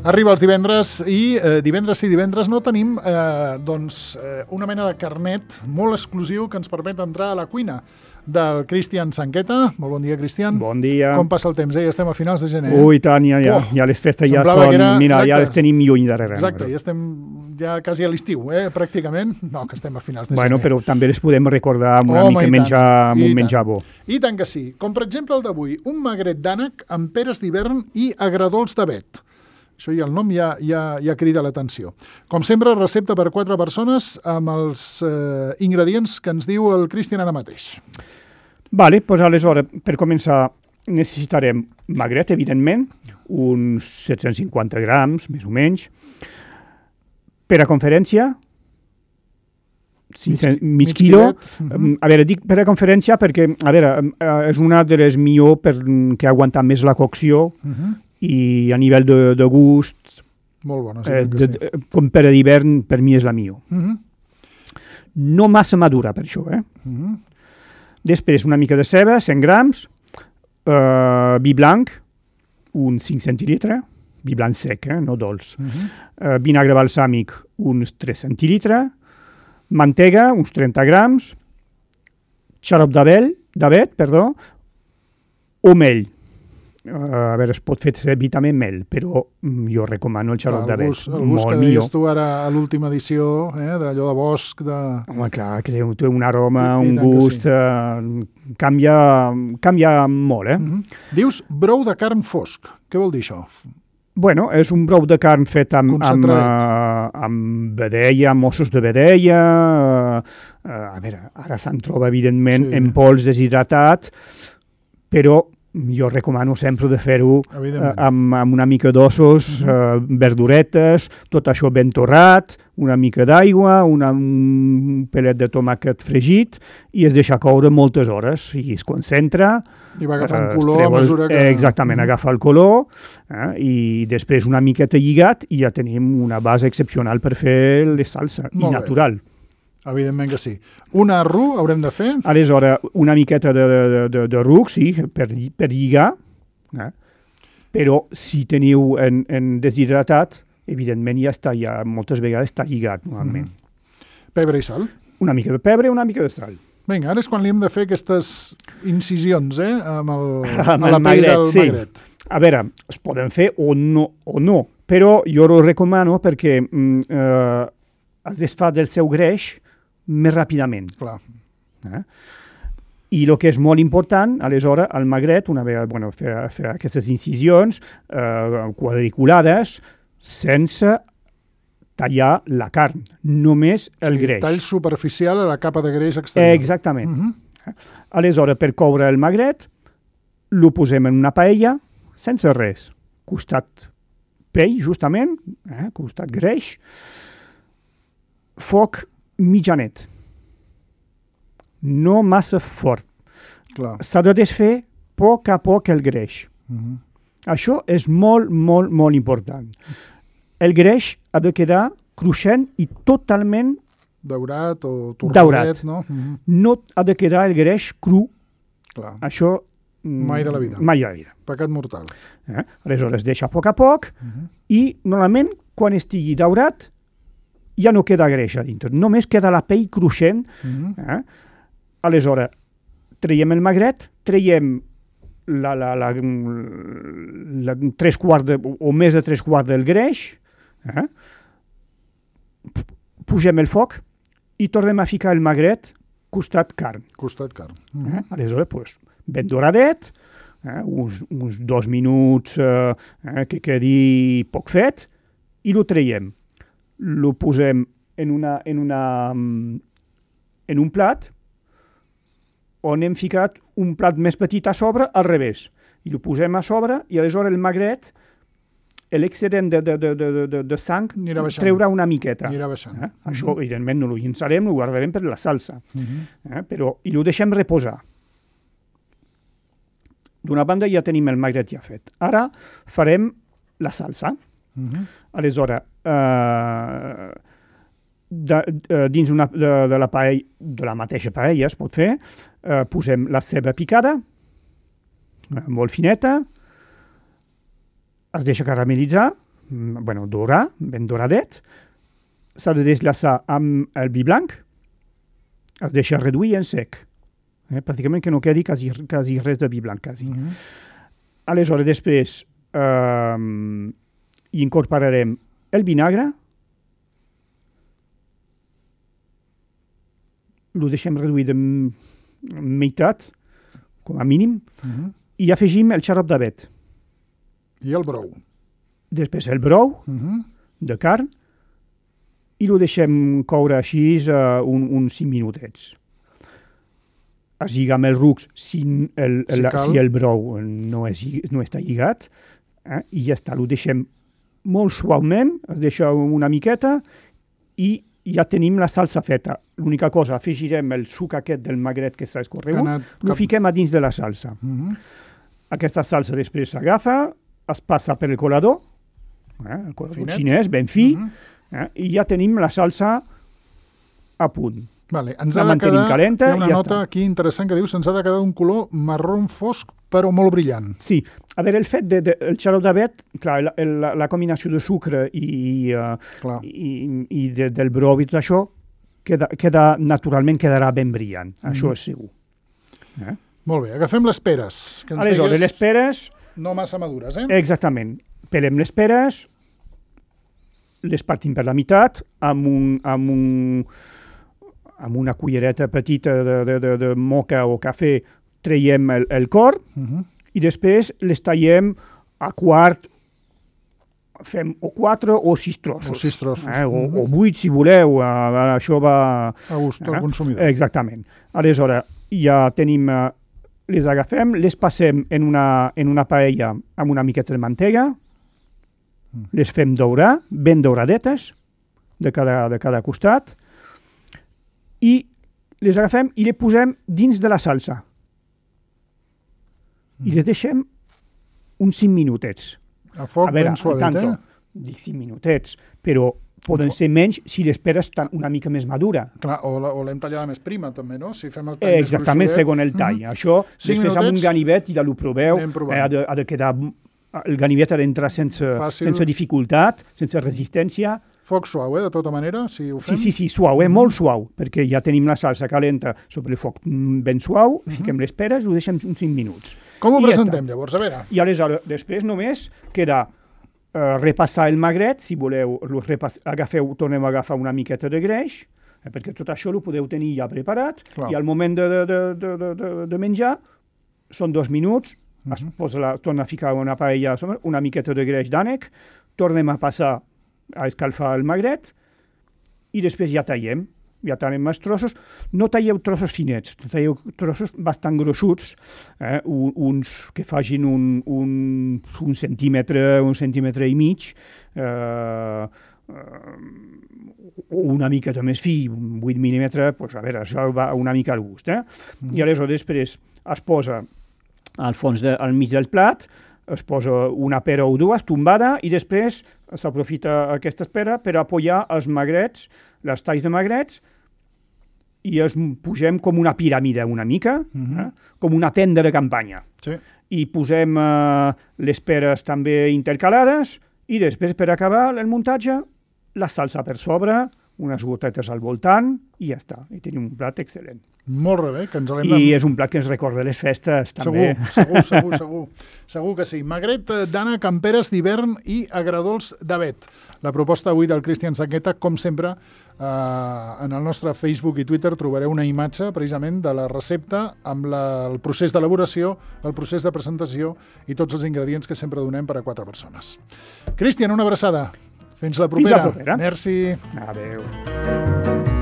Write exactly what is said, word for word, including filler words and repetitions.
Arriba els divendres i eh, divendres sí, divendres no tenim eh, doncs, eh, una mena de carnet molt exclusiu que ens permet entrar a la cuina del Cristian Sanqueta. Molt bon dia, Cristian. Bon dia. Com passa el temps? Eh? Ja estem a finals de gener. Eh? Ui, tant, ja, ja, oh, ja les festes ja són... Era... Mira, exacte, ja les tenim lluny darrere. Exacte, però... ja estem ja quasi a l'estiu, eh? Pràcticament. No, que estem a finals de bueno, gener. Però també les podem recordar amb una Home, mica menjar, amb un menjar bo. I tant que sí. Com per exemple el d'avui, un magret d'ànec amb peres d'hivern i agradols d'avet. Això ja el nom ja, ja, ja crida l'atenció. Com sempre, recepta per quatre persones amb els eh, ingredients que ens diu el Cristian ara mateix. Vale, doncs aleshores, per començar, necessitarem magret, evidentment, uns set-cents cinquanta grams, més o menys. Per a conferència, cinc cents, mig, mig quilo. Uh-huh. A veure, dic per a conferència perquè, a veure, és una de les millor perquè aguanta més la cocció, uh-huh. i a nivell de, de gust, molt bona, sí, eh, que de, sí. Com per a d'hivern, per mi és la millor. Uh-huh. No massa madura, per això, eh? Uh-huh. Després, una mica de ceba, cent grams, uh, vi blanc, uns cinc centilitres, vi blanc sec, eh? No dolç. Uh-huh. Uh, vinagre balsàmic, uns tres centilitres, mantega, uns trenta grams, xarop d'avet, perdó, o mel. Uh, a veure, es pot fer servir també mel, però jo recomano el xarop d'avet. El gust que deies tu ara a l'última edició, eh, d'allò de bosc... De... Home, clar, que té un aroma, I, un gust... Sí. Uh, canvia, canvia molt, eh? Uh-huh. Dius brou de carn fosc. Què vol dir això? Bueno, és un brou de carn fet amb, amb, uh, amb vedella, amb ossos de vedella... Uh, uh, a veure, ara se'n troba, evidentment, sí. en pols deshidratat, però... Jo recomano sempre de fer-ho eh, amb, amb una mica d'ossos, uh-huh. eh, verduretes, tot això ben torrat, una mica d'aigua, una, un pelet de tomàquet fregit i es deixa coure moltes hores i es concentra. I va agafant eh, color a mesura que... Eh, exactament, uh-huh. agafa el color eh, i després una miqueta lligat i ja tenim una base excepcional per fer la salsa i natural. Evidentment que sí. Un arru haurem de fer? Aleshores, una miqueta de, de, de, de ruc, sí, per, per lligar, eh? Però si teniu en, en deshidratat, evidentment ja està, ja moltes vegades està lligat, normalment. Mm-hmm. Pebre i sal? Una mica de pebre, una mica de sal. Vinga, ara és quan li hem de fer aquestes incisions, eh, amb, el, amb a la el pell magret, del sí. magret. A veure, es poden fer o no, o no, però jo ho recomano perquè mm, eh, es desfà del seu greix més ràpidament. Clar. Eh? I el que és molt important, aleshores, el magret, una vegada bueno, fer, fer aquestes incisions eh, quadriculades, sense tallar la carn, només el sí, greix. Tall superficial a la capa de greix exterior. Eh, exactament. Uh-huh. Aleshores, per coure el magret, lo posem en una paella, sense res. Costat pell, justament, eh, costat greix, foc mitjanet. No massa fort. Clar. S'ha de desfer a poc a poc el greix. Uh-huh. Això és molt, molt, molt important. El greix ha de quedar cruixent i totalment daurat o torradet, daurat. No? Uh-huh. No ha de quedar el greix cru. Clar. Això mai de la vida. Mai de la vida. Pecat mortal. Eh? Aleshores, deixa a poc a poc uh-huh. i normalment quan estigui daurat ja no queda greix a dintre, només queda la pell cruixent. Uh-huh. Eh? Aleshores, traiem el magret, traiem la, la, la, la, tres quarts de, o més de tres quarts del greix, eh? Pugem el foc i tornem a ficar el magret costat carn. Costat carn. Uh-huh. Eh? Aleshores, pues, ben doradet, eh? uns, uns dos minuts eh, eh, que quedi poc fet, i lo traiem. Lo posem en, una, en, una, en un plat on hem ficat un plat més petit a sobre al revés. I lo posem a sobre i aleshores el magret, l'excedent de, de, de, de, de, de sang, treurà una miqueta. Anirà baixant. Eh? Uh-huh. Això, evidentment, no lo llençarem, lo guardarem per la salsa. Uh-huh. Eh? Però, i lo deixem reposar. D'una banda ja tenim el magret ja fet. Ara farem la salsa. Uh-huh. Aleshores, eh, de, de, dins una, de, de, la paella, de la mateixa paella es pot fer, eh, posem la ceba picada, eh, molt fineta, es deixa caramelitzar bueno, dorar, ben doradet, s'ha de deslaçar amb el vi blanc, es deixa reduir en sec. Eh? Pràcticament que no quedi quasi, quasi res de vi blanc, quasi. Mm-hmm. Aleshores, després, eh, hi incorporarem el vinagre, lo deixem reduir de meitat, com a mínim, mm-hmm. i afegim el xarop d'avet. I el brou. Després el brou, mm-hmm. de carn, i lo deixem coure així uh, un, uns cinc minutets. Es lliga amb el rucs si el, el, si si el brou no, és, no està lligat, eh? I ja està, lo deixem molt suaument, es deixa una miqueta i ja tenim la salsa feta. L'única cosa, afegirem el suc aquest del magret que s'ha escorregut, lo cap... fiquem a dins de la salsa. Mm-hmm. Aquesta salsa després s'agafa, es passa per el colador, eh? El colador Finet. Xinès, ben fi, mm-hmm. eh? I ja tenim la salsa a punt. Vale, ens la ha de quedar, calenta, hi ha una ja nota està. Aquí interessant que diu se'ns ha de quedar un color marró fosc però molt brillant. Sí, a veure, el fet del de, de, xarop d'avet, clar, la, la, la combinació de sucre i, uh, i, i de, del brou i tot això, queda, queda, naturalment quedarà ben brillant, mm. això és segur. Eh? Molt bé, agafem les peres. Que ens Aleshores, degues... les peres... No massa madures, eh? Exactament. Pelem les peres, les partim per la meitat, amb un... Amb un amb una cullereta petita de, de, de, de moca o cafè traiem el, el cor uh-huh. i després les tallem a quart, fem o quatre o sis trossos. O sis trossos. Eh? O, uh-huh. o vuit, si voleu, uh, això va... A gust del eh? consumidor. Exactament. Aleshores, ja tenim, uh, les agafem, les passem en una, en una paella amb una miqueta de mantega, uh-huh. les fem daurar, ben dauradetes, de cada, de cada costat, i les agafem i les posem dins de la salsa. Mm. I les deixem uns cinc minutets. A foc a veure, ben suavet, tanto, eh? Dic cinc minutets, però poden ser menys si l'esperes una mica més madura. Clar, o, la, o l'hem tallada més prima, també, no? Si fem el tall eh, exactament, segons el tall. Mm-hmm. Això, després minutets, amb un ganivet i ja ho proveu, eh, ha, de, ha de quedar... El ganivet ha d'entrar sense, sense dificultat, sense resistència. Foc suau, eh, de tota manera, si ho fem? Sí, sí, sí, suau, eh, mm-hmm. molt suau, perquè ja tenim la salsa calenta sobre el foc ben suau, mm-hmm. fiquem les peres, ho deixem uns cinc minuts. Com ho I presentem, ja llavors? A veure. I aleshores, després només queda uh, repassar el magret, si voleu, repass... agafeu, tornem a agafar una miqueta de greix, eh, perquè tot això ho podeu tenir ja preparat, Clar. I al moment de, de, de, de, de, de menjar, són dos minuts, mm-hmm. es posa la, torna a ficar una paella, una miqueta de greix d'ànec, tornem a passar a escalfar el magret i després ja tallem, ja tallem els trossos. No talleu trossos finets, talleu trossos bastant grossuts, eh? uns que facin un, un, un centímetre, un centímetre i mig, eh, o una miqueta més fi, un vuit mil·límetres, pues, a veure, això va una mica al gust. Eh? Mm. I aleshores després es posa al fons, de, al mig del plat, es posa una pera o dues tombada i després s'aprofita aquesta pera per apoyar els magrets, les talls de magrets, i els posem com una piràmide una mica, mm-hmm. eh? Com una tenda de campanya. Sí. I posem eh, les peres també intercalades i després, per acabar el muntatge, la salsa per sobre, unes gotetes al voltant i ja està. I tenim un plat excel·lent. Molt bé, que ens l'hem... I és un plat que ens recorda les festes, també. Segur, segur, segur, segur. Segur que sí. Magret d'ànec amb peres d'hivern i agradols d'avet. La proposta avui del Cristian Sangueta, com sempre, eh, en el nostre Facebook i Twitter trobareu una imatge, precisament, de la recepta amb la, el procés d'elaboració, el procés de presentació i tots els ingredients que sempre donem per a quatre persones. Cristian, una abraçada. Fins la propera. Fins la propera. Merci. Adéu.